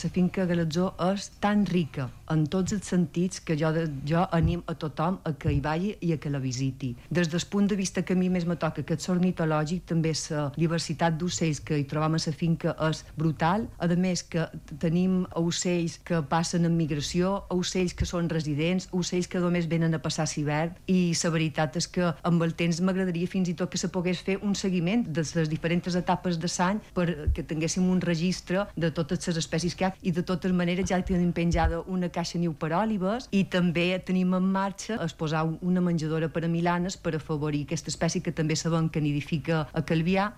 La finca Galatzó és tan rica en tots els sentits que jo anim a tothom a que hi vagi i a que la visiti. Des del punt de vista que a mi més me toca, que és ornitològic, també la diversitat d'ocells que hi trobam a la finca és brutal. A més que tenim ocells que passen en migració, ocells que són residents, ocells que només venen a passar l'hivern, i la veritat és que amb el temps m'agradaria fins i tot que se pogués fer un seguiment de les diferents etapes de l'any perquè tinguéssim un registre de totes les espècies que hi ha. I de totes maneres ja tenim penjada una caixa niu per òlibes i també tenim en marxa posar una menjadora per a milanes per afavorir aquesta espècie que també sabem que nidifica a Calvià